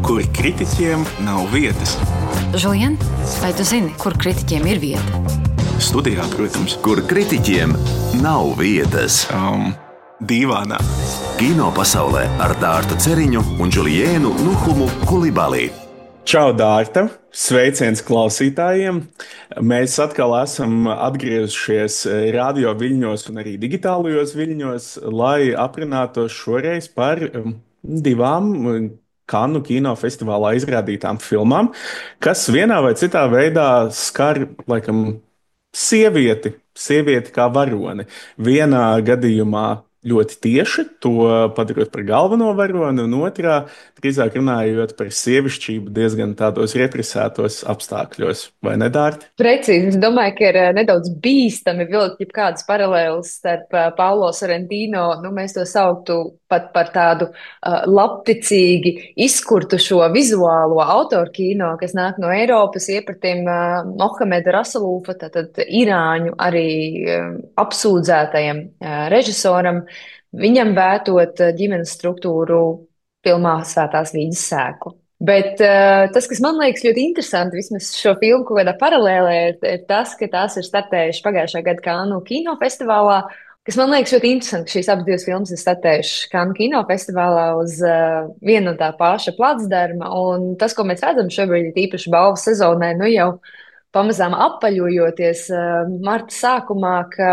kur kritiķiem nav vietas. Žulien, vai tu zini, kur kritiķiem ir vieta? Studijā, protams. Kur kritiķiem nav vietas. Dīvānā. Kino pasaulē ar Dārtu Ceriņu un Džuliēnu Nuhumu Kulibali. Čau, Dārta! Sveiciens klausītājiem! Mēs atkal esam atgriezušies radio viļņos un arī digitālajos viļņos, lai aprunātos šoreiz par divām Kannu kinofestivālā izrādītām filmām, kas vienā vai citā veidā skar, laikam, sievieti kā varoni. Vienā gadījumā ļoti tieši, to padarot par galveno varoni, un otrā, drīzāk runājot par sievišķību diezgan tādos represētos apstākļos. Vai ne, Dārti? Precīzi. Es domāju, ka ir nedaudz bīstami vilkt jebkādas paralēlas starp Paulo Sorrentino, mēs to sauktu pat par tādu labticīgi izkurtu šo vizuālo autoru kino, kas nāk no Eiropas, iepratim Mohameda Rasulūfa, tātad irāņu arī apsūdzētajam režisoram, viņam vētot ģimenes struktūru filmā Svētās Vīģes sēklu. Bet tas, kas man liekas ļoti interesanti, vismaz šo filmu kaut kādā paralēlē, ir tas, ka tās ir startējušas pagājušā gada Kannu kinofestivālā, kas man liekas ļoti interesanti, ka šīs abas divas filmas ir startējušas Kannu kinofestivālā uz vienu un tā paša placdarma, un tas, ko mēs redzam šobrīd, ir īpaši balvu sezonē, jau pamazām apaļojoties marta sākumā, ka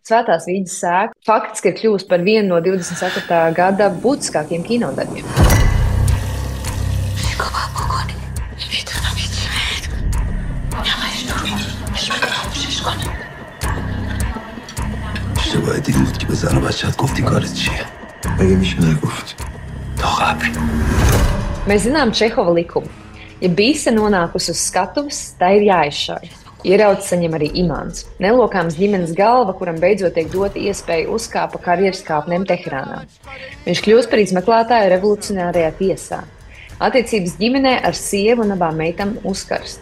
Svētās Vīģes sēkla faktiski ir kļuvusi par vienu no 24. gada būtiskākiem kinodarbiem. باید این بود که به زن و بچه‌ت گفتی کارت چیه؟ مگه میشه نگفت؟ تا قبل. Mēs zinām Čehova likumu. Ja bīse nonākusi uz skatuves, tā ir jāizšauj. Ieraudzis saņem arī imāns. Nelokāms ģimenes galva, kuram beidzot tiek dota iespēja uzkāpa karjeras kāpnēm Teherānā. Viņš kļūst par izmeklētāju revolucionārajā tiesā. Attiecības ģimenē ar sievu un abām meitām uzkarst.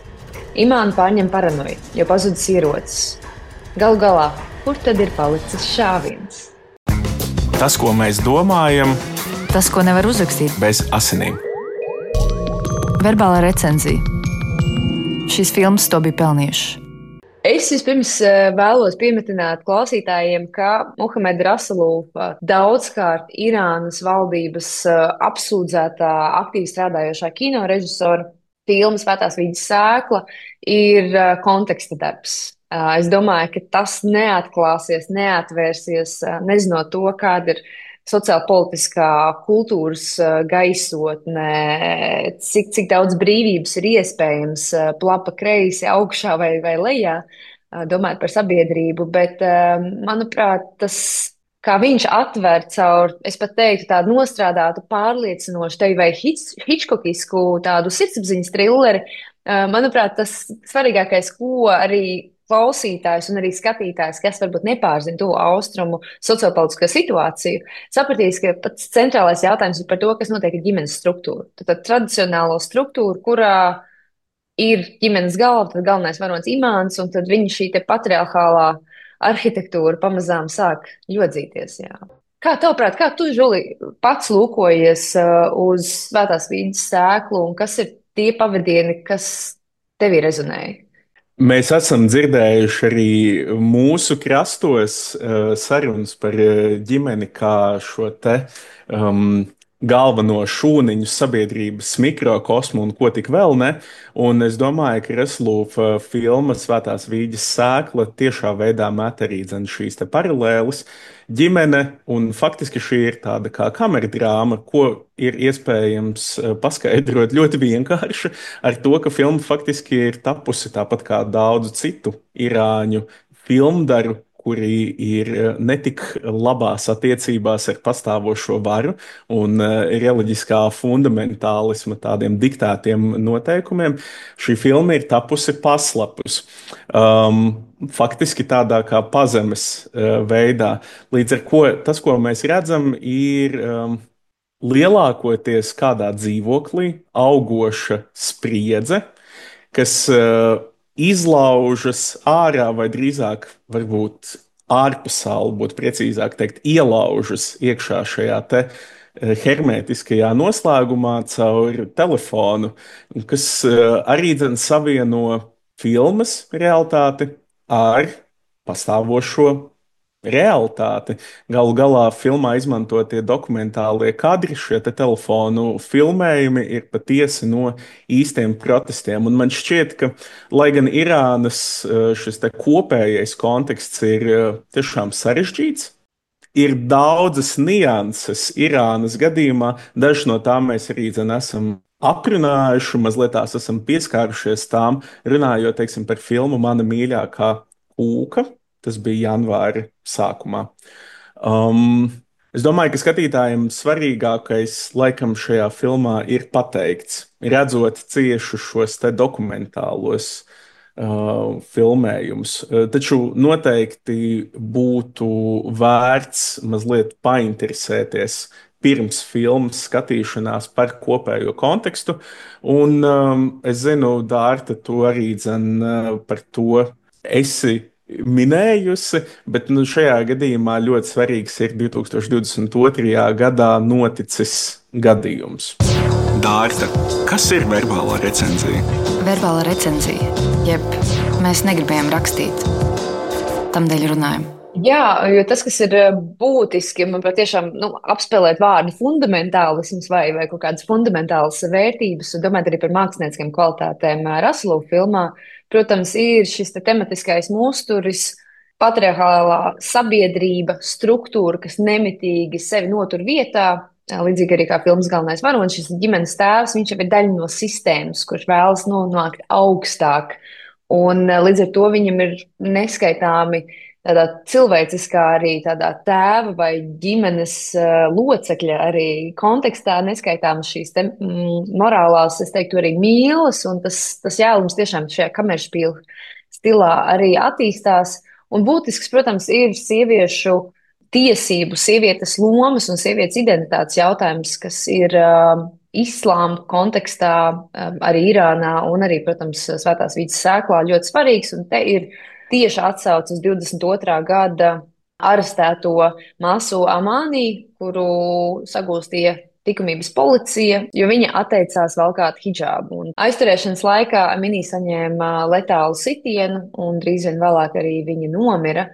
Imānu pārņem paranoja, jo pazudis ierocis. Galu galā, kur tad ir palicis šāviens? Tas, ko mēs domājam, Tas, ko nevar uzrakstīt. bez asinīm. Verbālā recenzija. Šīs filmas to bija pelnījušas. Es vispirms vēlos piemetināt klausītājiem, ka Mohameda Rasulūfa daudzkārt Irānas valdības apsūdzētā aktīvi strādājošā kinorežisora filma Svētās Vīģes sēkla ir konteksta darbs. Es domāju, ka tas neatklāsies, neatvērsies, nezinot to, kāda ir sociālpolitiskā kultūras gaisotne, cik daudz brīvības ir iespējams plapa kreisi, augšā vai lejā, domājot par sabiedrību. Bet, manuprāt, tas, kā viņš atver caur, es pat teiktu, tādu nostrādātu, pārliecinošu, tevi vai Hitchcockisku tādu sirdsapziņas trilleri, manuprāt, tas svarīgākais, ko arī klausītājs un arī skatītājs, kas varbūt nepārzina to austrumu sociopolitisko situāciju, sapratīs, ka pats centrālais jautājums ir par to, kas notiek ar ģimenes struktūru. Tad tradicionālo struktūru, kurā ir ģimenes galva, tad galvenais varonis imāns, un tad viņa šī te patriarchālā arhitektūra pamazām sāk ļodzīties. Jā. Kā tavuprāt, kā tu, Žuli, pats lūkojies uz Svētās Vīģes sēklu, un kas ir tie pavadieni, kas tevī rezonēja? Mēs esam dzirdējuši arī mūsu krastos sarunas par ģimeni kā šo te galveno šūniņu sabiedrības mikrokosmu un ko tik vēl ne. Un es domāju, ka Rasulūfa filma Svētās Vīģes sēkla tiešā veidā met arī šīs te paralēles. Ģimene, un faktiski šī ir tāda kā kameradrāma, ko ir iespējams paskaidrot ļoti vienkārši ar to, ka filma faktiski ir tapusi tāpat kā daudzu citu irāņu filmdaru, kuri ir netik labās attiecībās ar pastāvošo varu un reliģiskā fundamentālisma tādiem diktētiem noteikumiem. Šī filma ir tapusi paslapus. Faktiski tādā kā pazemes veidā. Līdz ar to tas, ko mēs redzam, ir lielākoties kādā dzīvoklī augoša spriedze, kas izlaužas ārā, vai drīzāk varbūt ārpasauli, būtu precīzāk teikt, ielaužas iekšā šajā te hermētiskajā noslēgumā caur telefonu, kas arī dzen savieno filmas realitāti ar pastāvošo realitāti. Galu galā filmā izmantotie dokumentālie kadri, šie te telefonu filmējumi ir patiesi no īstiem protestiem. Un man šķiet, ka, lai gan Irānas šis te kopējais konteksts ir tiešām sarežģīts, ir daudzas nianses Irānas gadījumā. Dažas no tām mēs arī esam aprunājuši, mazliet tās esam pieskārušies tām, runājot, teiksim, par filmu Mana mīļākā kūka. Tas bija janvāra sākumā. Es domāju, ka skatītājiem svarīgākais laikam šajā filmā ir pateikts, redzot cieši šos te dokumentālos filmējumus. Taču noteikti būtu vērts mazliet painteresēties pirms filmas skatīšanās par kopējo kontekstu. Un es zinu, Dārta, tu arī par to esi minējusi, bet šajā gadījumā ļoti svarīgs ir 2022. gadā noticis gadījums. Dārta, kas ir verbālā recenzija? Verbālā recenzija, jeb mēs negribējām rakstīt, tamdēļ runājam. Jā, jo tas, kas ir būtiski, man patiešām apspēlēt vārdu fundamentālisms vai kaut kādas fundamentālas vērtības, un domāt arī par mākslinieckām kvalitātēm Rasulu filmā, protams, ir šis tematiskais musturis, patriarchālā sabiedrība, struktūra, kas nemitīgi sevi notur vietā, līdzīgi arī kā filmas galvenais varonis, šis ģimenes tēvs, viņš jau ir daļa no sistēmas, kurš vēlas nonākt augstāk, un līdz ar to viņam ir neskaitāmi tādā cilvēciskā arī tādā tēva vai ģimenes locekļa arī kontekstā neskaitāmas šīs morālās, es teiktu, arī mīlas, un tas jēlums tiešām šajā kameršpīla stilā arī attīstās. Un būtisks, protams, ir sieviešu tiesību, sievietes lomas un sievietes identitātes jautājums, kas ir islāma kontekstā arī Irānā un arī, protams, Svētās Vīces sēklā ļoti svarīgs, un te ir tieši atsauc uz 22. gada arestēto Masu Amani, kuru sagūstīja likumības policija, jo viņa atteicās valkāt hidžābu. Un aizturēšanas laikā Amini saņēma letālu sitienu, un drīz vien vēlāk arī viņa nomira.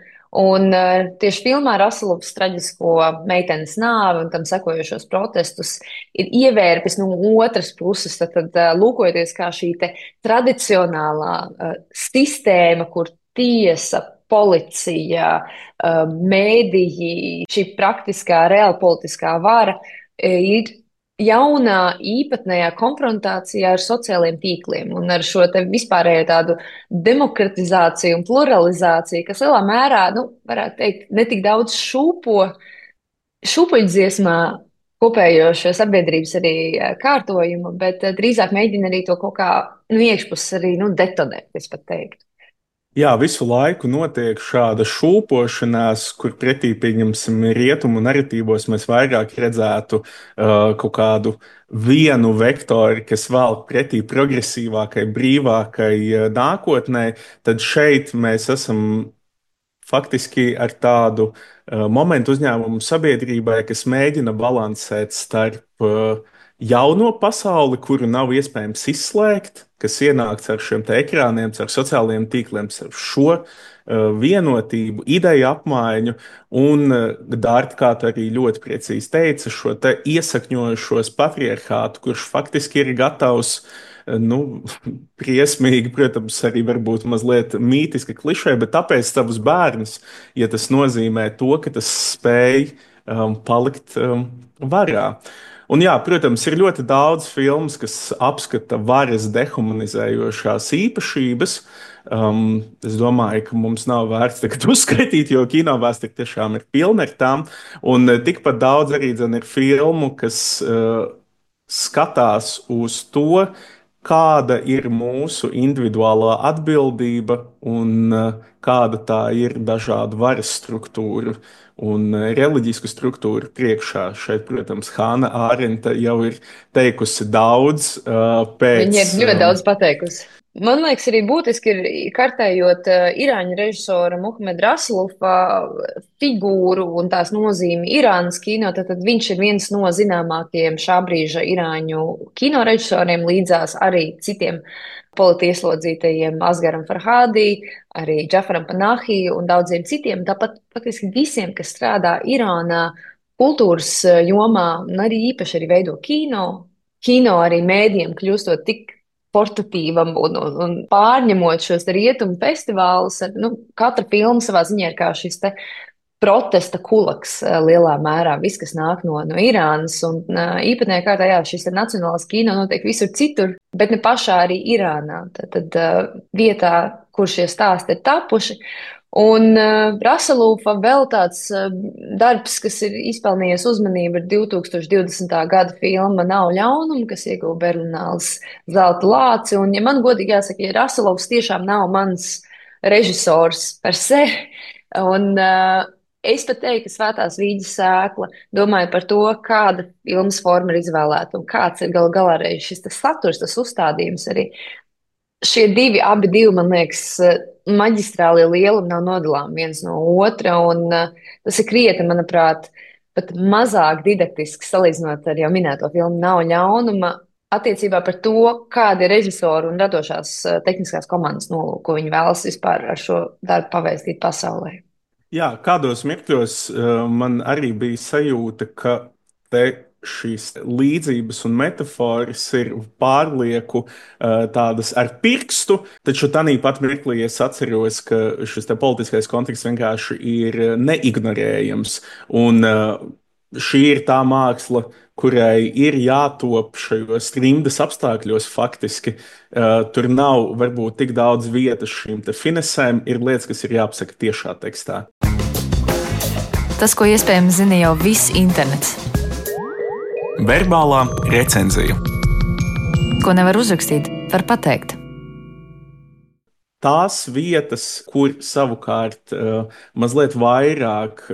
Un tieši filmā Rasulovs traģisko meitenes nāvi un tam sekojošos protestus ir ievērpis no otras puses, tad lūkojoties kā šī te tradicionālā sistēma, kur tiesa, policija, mēdīji, šī praktiskā, reālpolitiskā vara ir jaunā īpatnējā konfrontācijā ar sociālajiem tīkliem un ar šo te vispārējo tādu demokratizāciju un pluralizāciju, kas lielā mērā, varētu teikt, netik daudz šūpuļdziesmā kopējo šo sabiedrības arī kārtojumu, bet drīzāk mēģina arī to kaut kā iekšpus arī detonēt, es pat teiktu. Jā, visu laiku notiek šāda šūpošanās, kur pretī, pieņemsim, rietumu narratīvos mēs vairāk redzētu kaut kādu vienu vektoru, kas velk pretī progresīvākai, brīvākai nākotnē, tad šeit mēs esam faktiski ar tādu momentu uzņēmumu sabiedrībai, kas mēģina balansēt starp jauno pasauli, kuru nav iespējams izslēgt, kas ienākts ar šiem ekrāniem, ar sociālajiem tīkliem, ar šo vienotību, ideju apmaiņu, un Dārta, kā tu arī ļoti precīzi teici, šo te iesakņojušos patriarchātu, kurš faktiski ir gatavs briesmīgi, protams, arī varbūt mazliet mītiski klišē, bet tāpēc savus bērnus, ja tas nozīmē to, ka tas spēj palikt varā. Un jā, protams, ir ļoti daudz filmas, kas apskata varas dehumanizējošās īpašības. Es domāju, ka mums nav vērts tagad uzskaitīt, jo kinovēsture tiešām ir pilna ar tām. Un tikpat daudz arī ir filmu, kas skatās uz to, kāda ir mūsu individuālā atbildība un kāda tā ir dažādu varas struktūru un reliģisku struktūru priekšā. Šeit, protams, Hāna Ārenta jau ir teikusi daudz pēc... Viņa ir ļoti daudz pateikusi. Man liekas, arī būtiski ir kartējot irāņu režisora Muhameda Rasulova figūru un tās nozīmi Irānas kino, tad viņš ir viens no zināmākajiem šā brīža irāņu kino režisoriem, līdzās arī citiem politieslodzītajiem Asgaram Farhādī, arī Džafaram Panahi un daudziem citiem. Tāpat faktiski visiem, kas strādā Irānā kultūras jomā un arī īpaši arī veido kino arī mēdiem kļūstot tik portatīvam un pārņemot šos rietumu festivālus. Katra filma savā ziņā ir kā šis te protesta kulaks lielā mērā, viss, kas nāk no Irānas. Un īpatnējā kārtā, jā, šis te nacionālais kino notiek visur citur, bet ne pašā arī Irānā. Tad vietā, kur šie stāsti ir tapuši. Un Rasulova vēl tāds darbs, kas ir izpelnījies uzmanību, ir 2020. gada filma Nav ļaunuma, kas ieguva Berlināles zelta lāci. Un, ja man godīgi jāsaka, ja Rasulovs tiešām nav mans režisors per se, un es pat teiktu, ka Svētās vīģes sēkla, domāju par to, kāda filmas forma ir izvēlēta un kāds ir galā arī šis tas saturs, tas uzstādījums arī. Šie abi divi, man liekas, maģistrālie lielumi nav nodalāmi viens no otra, un tas ir krietni, manuprāt, pat mazāk didaktiski salīdzinot ar jau minēto filmu Nav ļaunuma, attiecībā par to, kāda ir režisoru un radošās tehniskās komandas nolūka, ko viņi vēlas vispār ar šo darbu pavēstīt pasaulē. Jā, kādos mirkļos man arī bija sajūta, ka te šīs līdzības un metafāras ir pārlieku tādas ar pirkstu, taču tanī pat mirklī es atceros, ka šis te politiskais konteksts vienkārši ir neignorējams. Un šī ir tā māksla, kurai ir jātop šajos trimdas apstākļos faktiski. Tur nav varbūt tik daudz vietas šīm te finesēm, ir lietas, kas ir jāpasaka tiešā tekstā. Tas, ko iespējams zina jau viss internets. Verbālā recenzija. Ko nevar uzrakstīt, var pateikt. Tās vietas, kur savukārt mazliet vairāk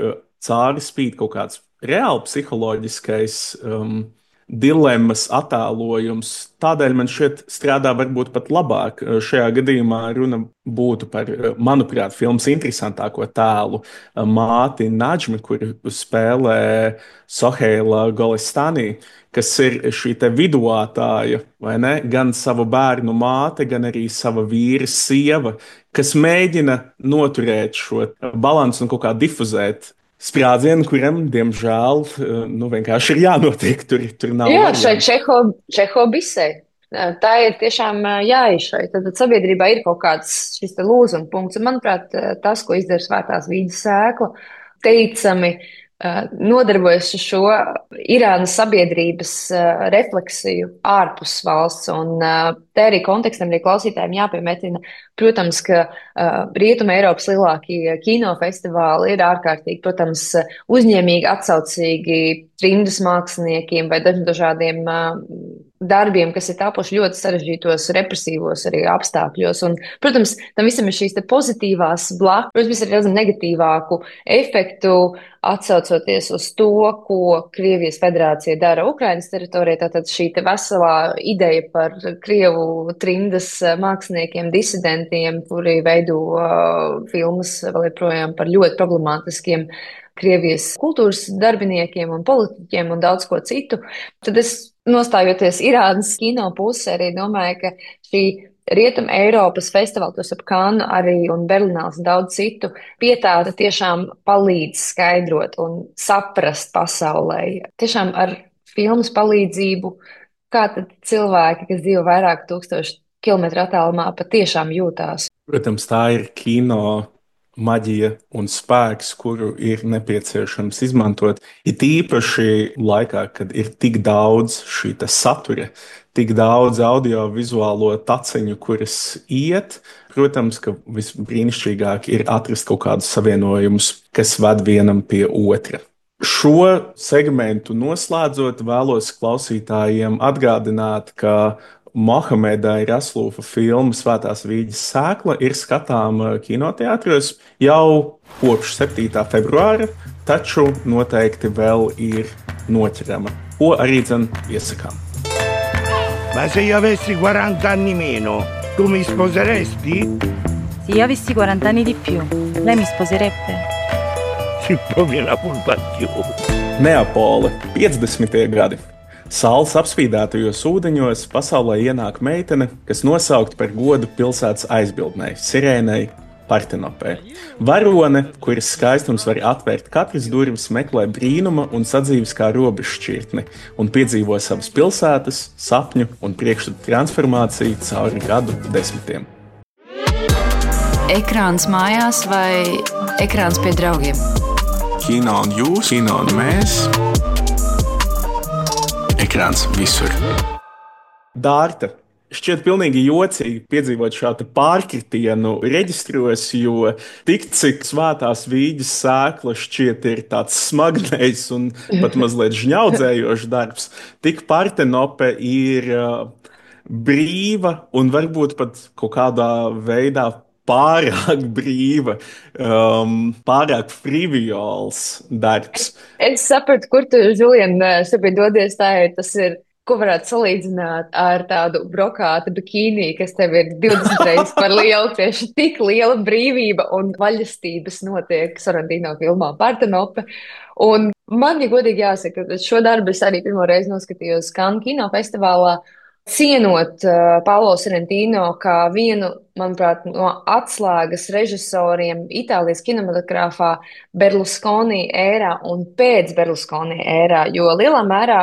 cauri spīd kaut kāds reāli psiholoģiskais dilemmas attēlojums, tādēļ man šķiet strādā varbūt pat labāk. Šajā gadījumā runa būtu par, manuprāt, filmas interesantāko tēlu māti Nadžmi, kur spēlē Soheila Golestani, kas ir šī te viduātāja, vai ne? Gan savu bērnu māte, gan arī sava vīra sieva, kas mēģina noturēt šo balansu un kaut kā difuzēt sprādzienu, kuram, diemžēl, vienkārši ir jānotiek. Tur nav. Jā, šai Čeho bisei. Tā ir tiešām jāizšai. Tad sabiedrībā ir kaut kāds šis te lūzuma punkts. Un, manuprāt, tas, ko izdara Svētās vīģes sēkla, teicami nodarbojas ar šo Irānas sabiedrības refleksiju ārpus valsts. Un te arī kontekstam arī klausītājiem jāpiemetina, protams, ka Rietuma Eiropas lielākie kinofestivāli ir ārkārtīgi, protams, uzņēmīgi, atsaucīgi trimdas māksliniekiem vai dažādiem darbiem, kas ir tapuši ļoti sarežģītos, represīvos arī apstākļos. Un, protams, tam visam ir šīs te pozitīvās blakus, protams, ir redzam negatīvāku efektu, atsaucoties uz to, ko Krievijas federācija dara Ukrainas teritorijā. Tātad šī te veselā ideja par Krievu trimdas māksliniekiem, disidentiem, kuri veido filmas vēl joprojām par ļoti problemātiskiem Krievijas kultūras darbiniekiem un politiķiem un daudz ko citu. Tad es, nostājoties Irānas kino pusē, arī domāju, ka šī Rietuma Eiropas festivāla, tos ap Kannu arī un Berlināles un daudz citu, pietāta tiešām palīdz skaidrot un saprast pasaulē. Tiešām ar filmas palīdzību, kā tad cilvēki, kas dzīvo vairāk 1000 kilometru attālumā, patiešām jūtās. Protams, tā ir kino maģija un spēks, kuru ir nepieciešams izmantot. It īpaši laikā, kad ir tik daudz šī satura, tik daudz audiovizuālo taciņu, kuras iet. Protams, ka visbrīnišķīgāk ir atrast kaut kādus savienojumus, kas ved vienam pie otra. Šo segmentu noslēdzot, vēlos klausītājiem atgādināt, ka Muhameda Rasulova filma Svētās vīģes sēkla ir skatāma kinoteātros jau kopš 7. februāra, taču noteikti vēl ir noķerama, ko arī iesakām. Ma se io avessi 40 anni meno, Tu mi sposeresti? Se io avessi 40 anni di più, lei mi sposerebbe? Si proprio una colpa più. Neapole, 50. gadi. Saules apspīdētajos ūdeņos pasaulē ienāk meitene, kas nosaukta par godu pilsētas aizbildnei, Sirēnei Partenopē. Varone, kuras skaistums var atvērt katras durvis, meklē brīnuma un sadzīves kā robežšķirtni un piedzīvo savas pilsētas, sapņu un priekšstatu transformāciju cauri gadu desmitiem. Ekrāns mājās vai ekrāns pie draugiem? Kino un jūs, kino un mēs. Ekrāns visur. Dārta, šķiet pilnīgi jocīgi piedzīvot šādu pārkritienu reģistros, jo tik cik svētās vīģes sēkla šķiet ir tāds smagnējs un pat mazliet žņaudzējošs darbs, tik Partenope ir brīva un varbūt pat kaut kādā veidā pārāk brīva, pārāk friviols darbs. Es sapratu, kur tu, Žulien, šobrīd dodies. Tas ir, ko varētu salīdzināt ar tādu brokāta bikīnī, kas tev ir 20 reizes par lielu. Tieši tik liela brīvība un vaļastības notiek Sorrentino filmā Partenope. Un man, ja godīgi jāsaka, šo darbu es arī pirmo reizi noskatījos Cannes kinofestivālā, cienot Paolo Sorrentino kā vienu, manuprāt, no atslēgas režisoriem Itālijas kinematogrāfā Berlusconi ērā un pēc Berlusconi ērā, jo lielā mērā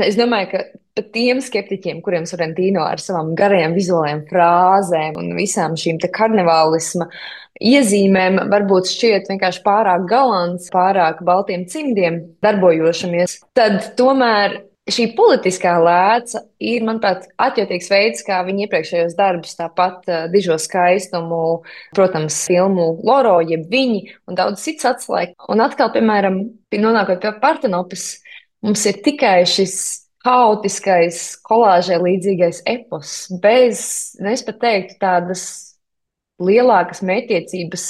es domāju, ka pat tiem skeptiķiem, kuriem Sorrentino ar savām garajām vizuālajām frāzēm un visām šīm te karnevālisma iezīmēm varbūt šķiet vienkārši pārāk galants, pārāk baltiem cimdiem darbojošamies, tad tomēr šī politiskā lēca ir, manuprāt, atjautīgs veids, kā viņi iepriekšējos darbus, tāpat Dižo skaistumu, protams, filmu Loro, jeb Viņi un daudz cits atslēgt. Un atkal, piemēram, nonākot pie Partenopes, mums ir tikai šis haotiskais, kolāžai līdzīgais epos, bez, es pat teiktu, tādas lielākas mērķtiecības,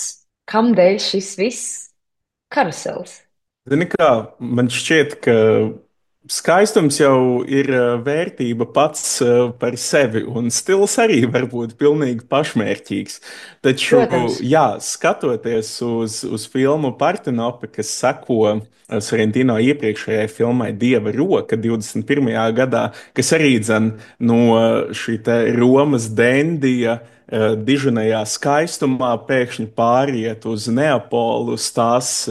kamdēļ šis viss karusels. Zini kā, man šķiet, ka skaistums jau ir vērtība pats par sevi, un stils arī var būt pilnīgi pašmērķīgs. Taču, jā, skatoties uz filmu Partenope, kas seko Sorrentino iepriekšējai filmai Dieva roka 21. gadā, kas arī dzen no šī te Romas dendija diženajā skaistumā pēkšņi pāriet uz Neapolu, uz tās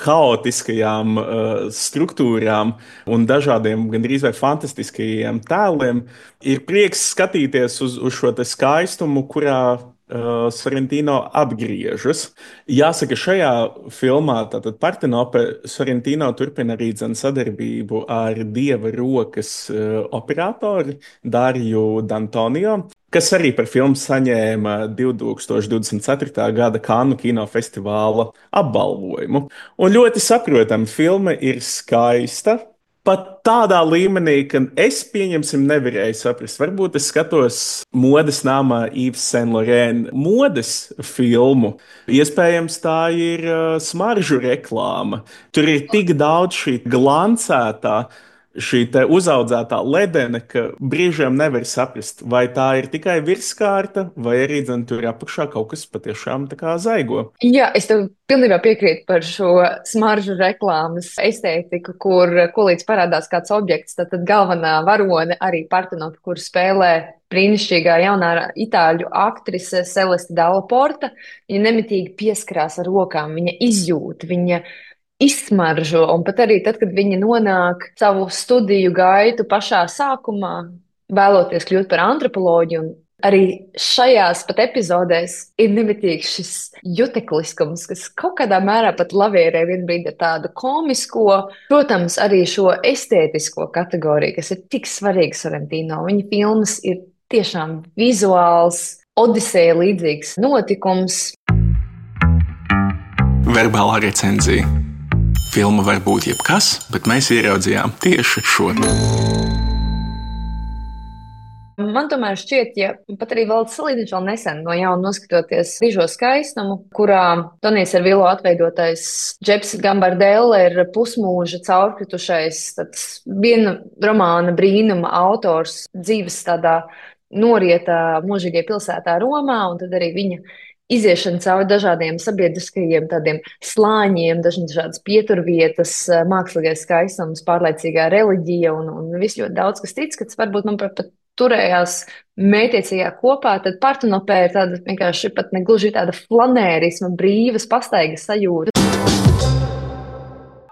haotiskajām struktūrām un dažādiem gandrīz vai fantastiskajiem tēliem, ir prieks skatīties uz šo te skaistumu, kurā Sorrentino apgriežas. Jāsaka, šajā filmā, tātad Partenope, Sorrentino turpina arī sadarbību ar Dieva rokas operatoru Dariju D'Antonio, kas arī par filmu saņēma 2024. gada Cannes kinofestivāla apbalvojumu. Un ļoti saprotami, filma ir skaista. Pat tādā līmenī, ka es, pieņemsim, nevarēju saprast. Varbūt es skatos modes namā Yves Saint Laurent modes filmu. Iespējams, tā ir smaržu reklāma. Tur ir tik daudz šī glancētā, šī te uzaudzētā ledene, ka brīžiem nevar saprast, vai tā ir tikai virskārta, vai arī tur apakšā kaut kas patiešām tā kā zaigo. Jā, es tev pilnībā piekrītu par šo smaržu reklāmas estētiku, kur kolīdz parādās kāds objekts, tad galvenā varone arī Partenope, kur spēlē brīnišķīgā jaunā itāļu aktrise Celeste Dalla Porta. Viņa nemitīgi pieskarās ar rokām, viņa izjūt, viņa izsmaržo, un pat arī tad, kad viņa nonāk savu studiju gaitu pašā sākumā, vēloties kļūt par antropoloģiju, un arī šajās pat epizodēs ir nemitīgs šis jutekliskums, kas kaut kādā mērā pat lavierē vienbrīd ar tādu komisko, protams, arī šo estētisko kategoriju, kas ir tik svarīga Sorrentino. Viņa filmas ir tiešām vizuāls, Odiseja līdzīgs notikums. Verbālā recenzija. Filma var būt jebkas, bet mēs ieraudzījām tieši šo. Man tomēr šķiet, ja pat arī vēl salīdzinoši vēl nesen no jauna noskatoties Dižo skaistumu, kurā Tonijs Servillo atveidotais Džeps Gambardella ir pusmūža caurkritušais, tāds viena romāna brīnuma autors dzīves tādā norieta mūžīgajā pilsētā Romā, un tad arī viņa iziešana cauri dažādiem sabiedriskajiem tādiem slāņiem, dažādas pieturvietas, mākslīgais skaistums, pārliecīgā reliģija un viss ļoti daudz, kas cits, kas varbūt man pat turējās mētiecīgā kopā, tad Partenopē ir tāda vienkārši pat negluži tāda flanērisma, brīvas, pastaigas sajūta.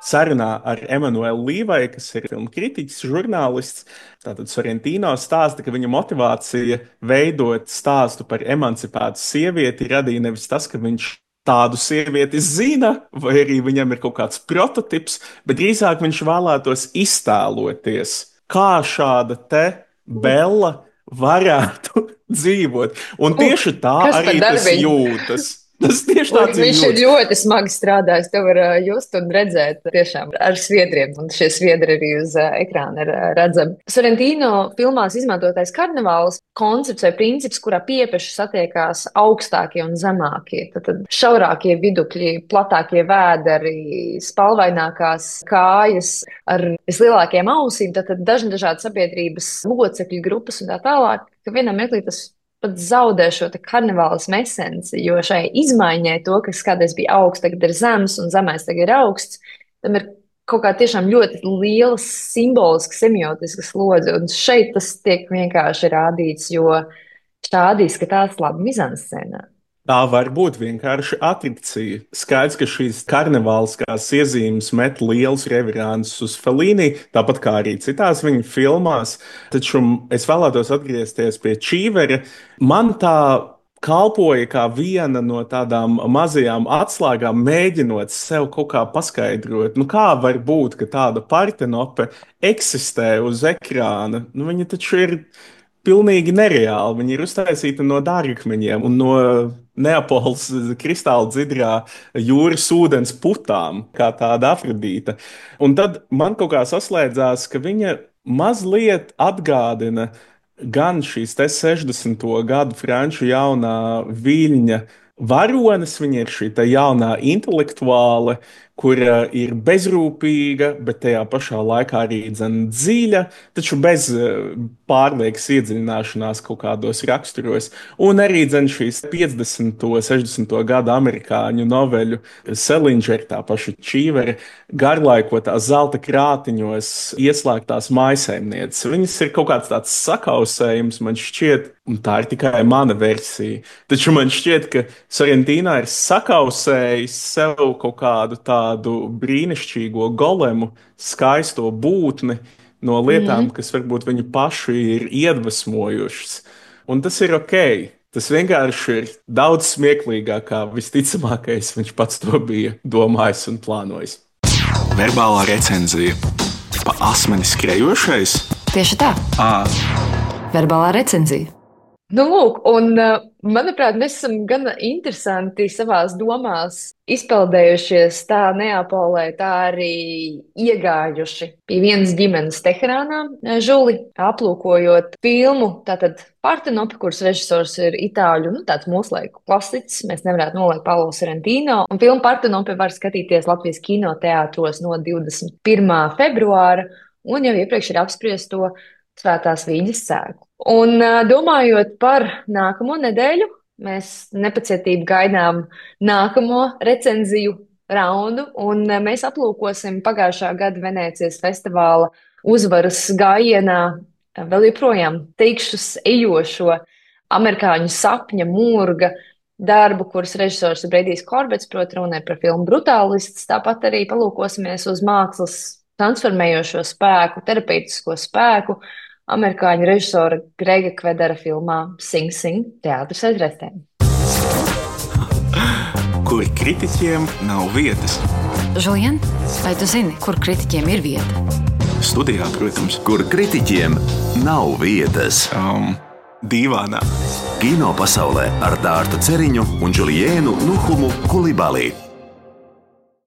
Sarunā ar Emanuelu Līvai, kas ir filmu kritiķis, žurnālists, tātad Sorrentino stāsta, ka viņa motivācija veidot stāstu par emancipētu sievieti radīja nevis tas, ka viņš tādu sievieti zina, vai arī viņam ir kaut kāds prototips, bet drīzāk viņš vēlētos iztēloties, kā šāda te Bella varētu dzīvot. Un tieši tā arī tas jūtas. Tas tieši tāds ir. Viņš ir ļoti smagi strādājis. To var just un redzēt tiešām ar sviedriem. Un šie sviedri arī uz ekrāna ir redzami. Sorrentino filmās izmantotais karnevāls koncepts vai princips, kurā piepeši satiekās augstākie un zemākie. Tad šaurākie vidukļi, platākie vēderi, spalvainākās kājas ar vislielākajām ausīm, tad dažādi sabiedrības locekļu grupas un tā tālāk, ka vienam mirklī tas pat zaudē šo karnevālismu esenci, jo šai izmaiņai to, kas kādreiz bija augsts, tagad ir zems un zemais tagad ir augsts, tam ir kaut kā tiešām ļoti liela simboliska, semiotiska slodze, un šeit tas tiek vienkārši rādīts, jo šādi izskatās labi mizanscēnā. Tā var būt vienkārši atrakcija. Skaidrs, ka šīs karnevāliskās iezīmes met liels reverāns uz Fellini, tāpat kā arī citās viņa filmās. Taču es vēlētos atgriezties pie Čīvera. Man tā kalpoja kā viena no tādām mazajām atslēgām, mēģinot sev kaut kā paskaidrot. Kā var būt, ka tāda Partenope eksistē uz ekrāna? Viņa taču ir pilnīgi nereāli. Viņi ir uztaisīti no dārgakmeņiem un no Neapoles kristāla dzidrā jūras ūdens putām, kā tāda Afrodīta. Un tad man kaut kā saslēdzās, ka viņa mazliet atgādina gan šīs 60. gadu franču jaunā viļņa varonis, viņa ir šī jaunā intelektuāle, kura ir bezrūpīga, bet tajā pašā laikā arī dziļa, taču bez pārliekas iedziļināšanās kaut kādos raksturos. Un arī šīs 50. un 60. gada amerikāņu noveļu Salinger, tā paša Čīvera, garlaikotās zelta krātiņos ieslēgtās mājsaimnieces. Viņas ir kaut kāds tāds sakausējums, man šķiet, un tā ir tikai mana versija. Taču man šķiet, ka Sorrentino ir sakausējis sev kaut kādu tādu brīnišķīgo golemu, skaisto būtni no lietām, kas varbūt viņu pašu ir iedvesmojušas. Un tas ir ok. Tas vienkārši ir daudz smieklīgāk, kā visticamākais viņš pats to bija domājis un plānojis. Verbālā recenzija. Pa asmeni skrejošais? Tieši tā. Verbālā recenzija. Lūk, un manuprāt, mēs esam gan interesanti savās domās izpeldējušies tā Neapolē, tā arī iegājuši pie vienas ģimenes Teherānā, Žuli, aplūkojot filmu, tātad Partenope, kuras režisors ir itāļu, tāds mūslaiku klasiķis, mēs nevarētu noliekt Paolo Sorrentino, un filmu Partenope var skatīties Latvijas kinoteātros no 21. februāra, un jau iepriekš ir apspriest to Svētās Vīģes sēklu. Un domājot par nākamo nedēļu, mēs nepacietību gaidām nākamo recenziju raundu, un mēs aplūkosim pagājušā gada Venēcijas festivāla uzvaras gājienā vēl joprojām teikšus ejošo amerikāņu sapņa mūrga darbu, kuras režisors ir Bredijs Korbets, proti runē par filmu Brutālists. Tāpat arī palūkosimies uz mākslas transformējošo spēku, terapeitisko spēku amerikāņu režisora Grega Kvedera filmā Sing Sing teātris aiz restēm. Kur kritiķiem nav vietas? Žulien, vai tu zini, kur kritiķiem ir vieta? Studijā, protams. Kur kritiķiem nav vietas? Dīvānā. Kino pasaulē ar Dārtu Ceriņu un Juliēnu Nuhumu Kulibalī.